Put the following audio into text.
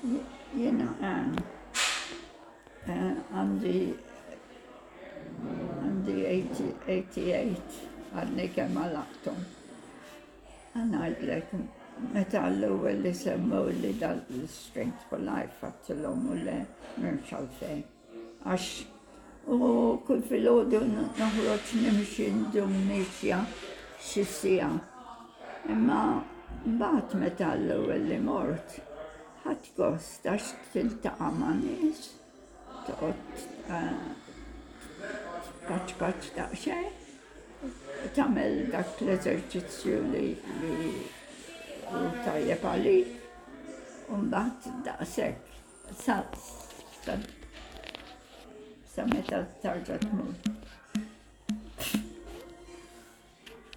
Jiena għandi għandi 88 għadni kemm għalaqthom. Ħa ngħidlek, meta l-ewwel li semmew li dal-Strength for Life għedtilhom u le m'hemmx għalfejn. Għax u kull filgħodu noħroġ nimxi ndum mixja xi siegħa. Imma mbagħad meta l-ewwel li mort, ħadt gost għax tiltaqa' ma' nies, toqgħod tpaċpaċ daqsxejn, tagħmel dak l-eżerċizzju li hu tajjeb għalik, u mbagħad daqshekk sa sa meta tarġa' tmur.